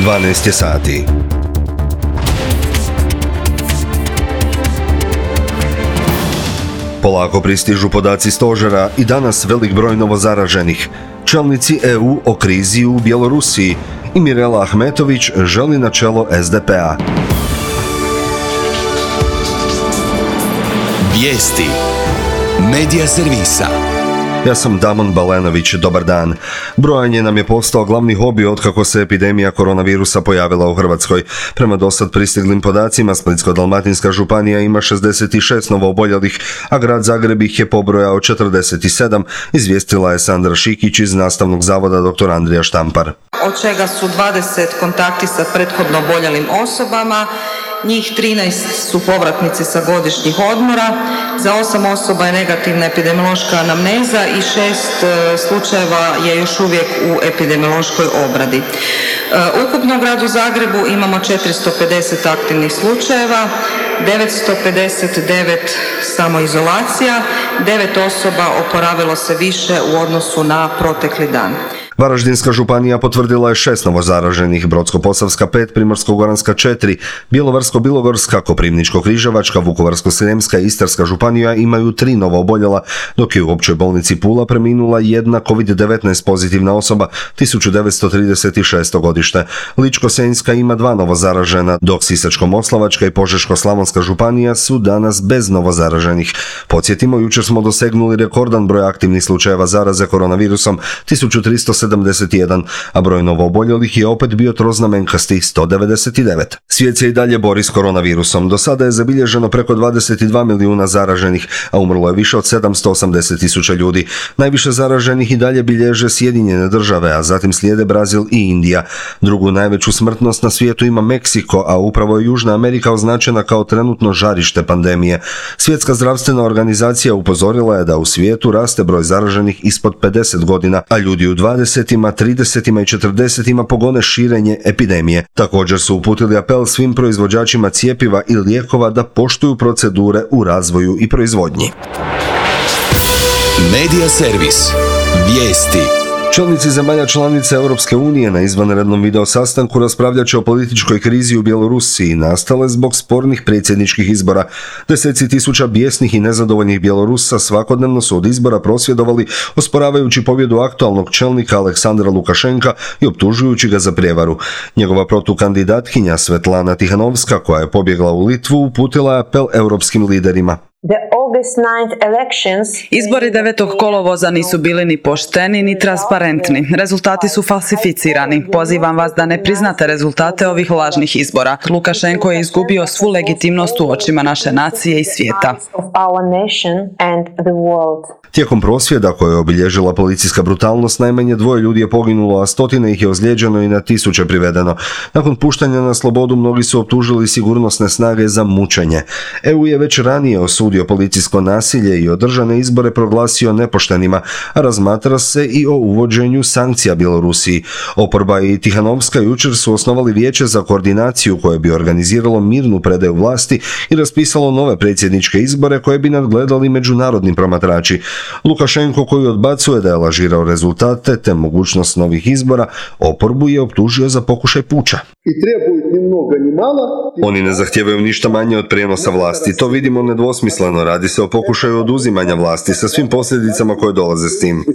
12 je sati. Polako pristižu podaci stožera i danas velik broj novozaraženih. Čelnici EU o krizi u Bjelorusiji i Mirela Ahmetović želi na čelo SDP-a. Vijesti Medija servisa. Ja sam Damon Balenović, dobar dan. Brojanje nam je postao glavni hobi otkako se epidemija koronavirusa pojavila u Hrvatskoj. Prema dosad pristiglim podacima, Splitsko-dalmatinska županija ima 66 novooboljelih, a grad Zagreb ih je pobrojao 47, izvijestila je Sandra Šikić iz Nastavnog zavoda dr. Andrija Štampar. Od čega su 20 kontakti sa prethodno oboljelim osobama, njih 13 su povratnici sa godišnjih odmora, za 8 osoba je negativna epidemiološka anamneza i 6 slučajeva je još uvijek u epidemiološkoj obradi. Ukupno u gradu Zagrebu imamo 450 aktivnih slučajeva, 959 samoizolacija, 9 osoba oporavilo se više u odnosu na protekli dan. Varaždinska županija potvrdila je 6 novozaraženih, Brodsko-posavska 5, Primorsko-goranska 4, Bjelovarsko-bilogorska, Koprivničko-križevačka, Vukovarsko-srijemska i Istarska županija imaju 3 novooboljela, dok je u općoj bolnici Pula preminula jedna COVID-19 pozitivna osoba, 1936. godište. Ličko-senjska ima 2 novozaražena, dok Sisačko-moslavačka i Požeško-slavonska županija su danas bez novozaraženih. Podsjetimo, jučer smo dosegnuli rekordan broj aktivnih slučajeva zaraze koronavirusom, 1371, a broj novooboljelih je opet bio troznamenkasti 199. Svijet se i dalje bori s koronavirusom. Do sada je zabilježeno preko 22 milijuna zaraženih, a umrlo je više od 780.000 ljudi. Najviše zaraženih i dalje bilježe Sjedinjene države, a zatim slijede Brazil i Indija. Drugu najveću smrtnost na svijetu ima Meksiko, a upravo je Južna Amerika označena kao trenutno žarište pandemije. Svjetska zdravstvena organizacija upozorila je da u svijetu raste broj zaraženih ispod 50 godina, a ljudi u 20, 30 i 40 pogone širenje epidemije. Također su uputili apel svim proizvođačima cjepiva i lijekova da poštuju procedure u razvoju i proizvodnji. Medija servis. Vijesti. Čelnici zemalja članica Europske unije na izvanrednom video sastanku raspravljat će o političkoj krizi u Bjelorusiji nastale zbog spornih predsjedničkih izbora. Deseci tisuća bijesnih i nezadovoljnih Bjelorusa svakodnevno su od izbora prosvjedovali, osporavajući pobjedu aktualnog čelnika Aleksandra Lukašenka i optužujući ga za prijevaru. Njegova protukandidatkinja Svetlana Tihanovska, koja je pobjegla u Litvu, uputila je apel europskim liderima. Izbori 9. kolovoza nisu bili ni pošteni ni transparentni. Rezultati su falsificirani. Pozivam vas da ne priznate rezultate ovih lažnih izbora. Lukašenko je izgubio svu legitimnost u očima naše nacije i svijeta. Tijekom prosvjeda koje je obilježila policijska brutalnost, najmanje 2 ljudi je poginulo, a stotine ih je ozlijeđeno i na tisuće privedeno. Nakon puštanja na slobodu mnogi su optužili sigurnosne snage za mučenje. EU je već ranije osudio policijsko nasilje i održane izbore proglasio nepoštenima, a razmatra se i o uvođenju sankcija Bjelorusiji. Oporba i Tihanovska jučer su osnovali vijeće za koordinaciju koje bi organiziralo mirnu predaju vlasti i raspisalo nove predsjedničke izbore koje bi nadgledali međunarodni promatrači. Lukašenko, koji odbacuje da je lažirao rezultate te mogućnost novih izbora, oporbu je optužio za pokušaj puča. Oni ne zahtijevaju ništa manje od prijenosa vlasti. To vidimo nedvosmisleno. Radi se o pokušaju oduzimanja vlasti sa svim posljedicama koje dolaze s tim.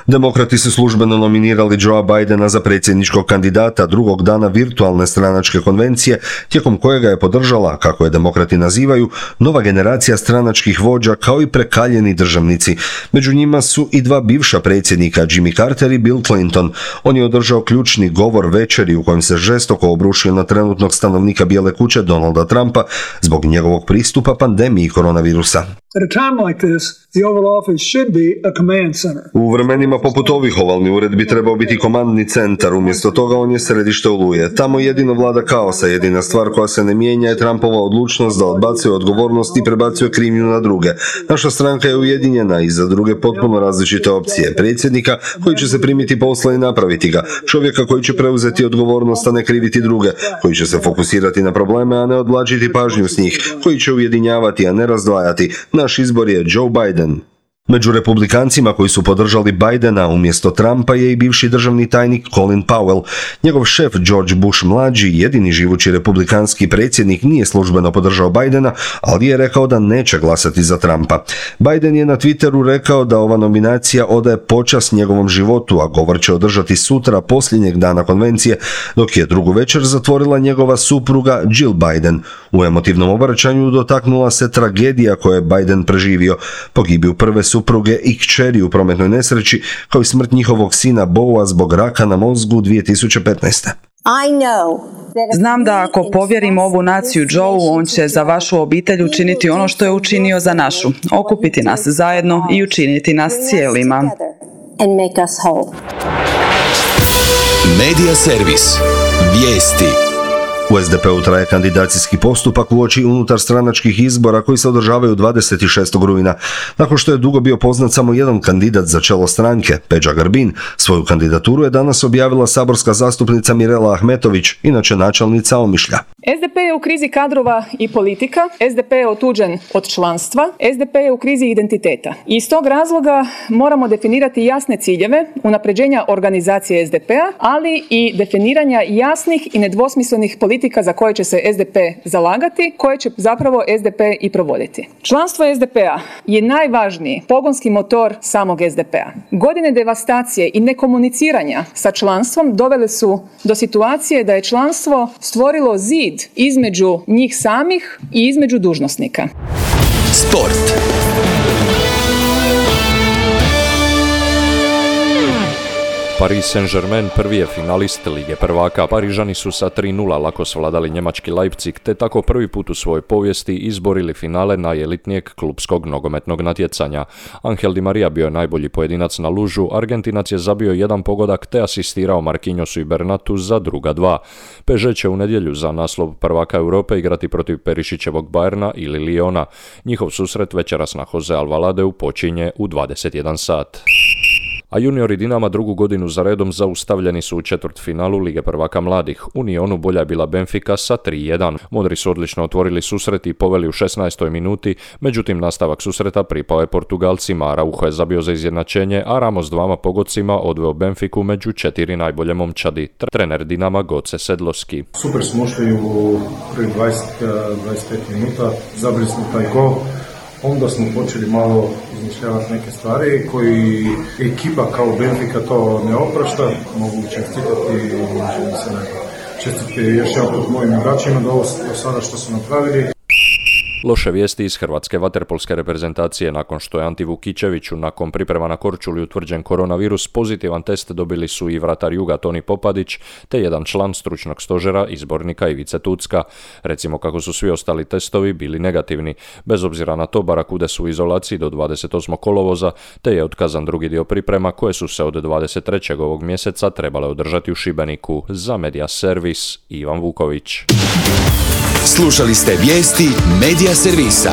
Demokrati su službeno nominirali Joea Bidena za predsjedničkog kandidata drugog dana virtualne stranačke konvencije, tijekom kojega je podržala, kako je demokrati nazivaju, nova generacija stranačkih vođa kao i prekaljeni državnici. Među njima su i 2 bivša predsjednika, Jimmy Carter i Bill Clinton. On je održao ključni govor večeri u kojem se žestoko obrušio na trenutnog stanovnika Bijele kuće Donalda Trumpa zbog njegovog pristupa pandemiji koronavirusa. U vremenima poput ovih ovalni ured bi trebao biti komandni centar, umjesto toga on je središte oluje. Tamo jedino vlada kaosa, jedina stvar koja se ne mijenja je Trumpova odlučnost da odbacuje odgovornost i prebacuje krivnju na druge. Naša stranka je ujedinjena i za druge potpuno različite opcije. Predsjednika koji će se primiti posla i napraviti ga, čovjeka koji će preuzeti odgovornost, a ne kriviti druge, koji će se fokusirati na probleme, a ne odvlačiti pažnju s njih, koji će ujedinjavati, a ne razdvajati. Naš izbor je Joe Biden. Među republikancima koji su podržali Bidena umjesto Trumpa je i bivši državni tajnik Colin Powell. Njegov šef George Bush mlađi, jedini živući republikanski predsjednik, nije službeno podržao Bidena, ali je rekao da neće glasati za Trumpa. Biden je na Twitteru rekao da ova nominacija odaje počast njegovom životu, a govor će održati sutra posljednjeg dana konvencije, dok je drugu večer zatvorila njegova supruga Jill Biden. U emotivnom obraćanju dotaknula se tragedija koje je Biden preživio, pogibiju prve supruge i kćeri u prometnoj nesreći, kao i smrt njihovog sina Boa zbog raka na mozgu 2015. Znam da ako povjerim ovu naciju Joeu, on će za vašu obitelj učiniti ono što je učinio za našu, okupiti nas zajedno i učiniti nas cijelima. Medija servis. Vijesti. U SDP-u traje kandidacijski postupak uoči unutarstranačkih izbora koji se održavaju 26. rujna. Nakon što je dugo bio poznat samo jedan kandidat za čelo stranke, Peđa Grbin, svoju kandidaturu je danas objavila saborska zastupnica Mirela Ahmetović, inače načelnica Omišlja. SDP je u krizi kadrova i politika, SDP je otuđen od članstva, SDP je u krizi identiteta. I iz tog razloga moramo definirati jasne ciljeve unapređenja organizacije SDP-a, ali i definiranja jasnih i nedvosmislenih politika za koje će se SDP zalagati, koje će zapravo SDP i provoditi. Članstvo SDP-a je najvažniji pogonski motor samog SDP-a. Godine devastacije i nekomuniciranja sa članstvom dovele su do situacije da je članstvo stvorilo zid između njih samih i između dužnosnika. Sport. Paris Saint-Germain prvi je finalist Lige prvaka. Parižani su sa 3:0 lako svladali njemački Leipzig, te tako prvi put u svojoj povijesti izborili finale najelitnijeg klupskog nogometnog natjecanja. Angel Di Maria bio je najbolji pojedinac na lužu, Argentinac je zabio jedan pogodak te asistirao Marquinhosu i Bernatu za druga dva. PSG će u nedjelju za naslov prvaka Europe igrati protiv Perišićevog Bayerna ili Liona. Njihov susret večeras na Jose Alvaladeu počinje u 21 sat. A juniori Dinama drugu godinu za redom zaustavljeni su u četvrtfinalu Lige prvaka mladih. U Nionu bolja je bila Benfica sa 3:1. Modri su odlično otvorili susret i poveli u 16. minuti, međutim nastavak susreta pripao je Portugalcima. Araujo je zabio za izjednačenje, a Ramos dvama pogodcima odveo Benfiku među 4 najbolje momčadi. Trener Dinama Goce Sedloski. Super smo ušli u prvi 20-25 minuta, zabili smo taj gol. Onda smo počeli malo izmišljavati neke stvari koji ekipa kao Benfica to ne oprašta. Mogu čestitati, želim se čestitati još jedan put mojim igračima do sada što su napravili. Loše vijesti iz hrvatske vaterpolske reprezentacije. Nakon što je Anti Vukićeviću nakon priprema na Korčuli utvrđen koronavirus, pozitivan test dobili su i vratar Juga Toni Popadić, te jedan član stručnog stožera izbornika Ivice Tucka. Recimo kako su svi ostali testovi bili negativni. Bez obzira na to, Barakude su u izolaciji do 28. kolovoza, te je otkazan drugi dio priprema koje su se od 23. ovog mjeseca trebale održati u Šibeniku. Za Medija servis Ivan Vuković. Slušali ste vijesti Medija servisa.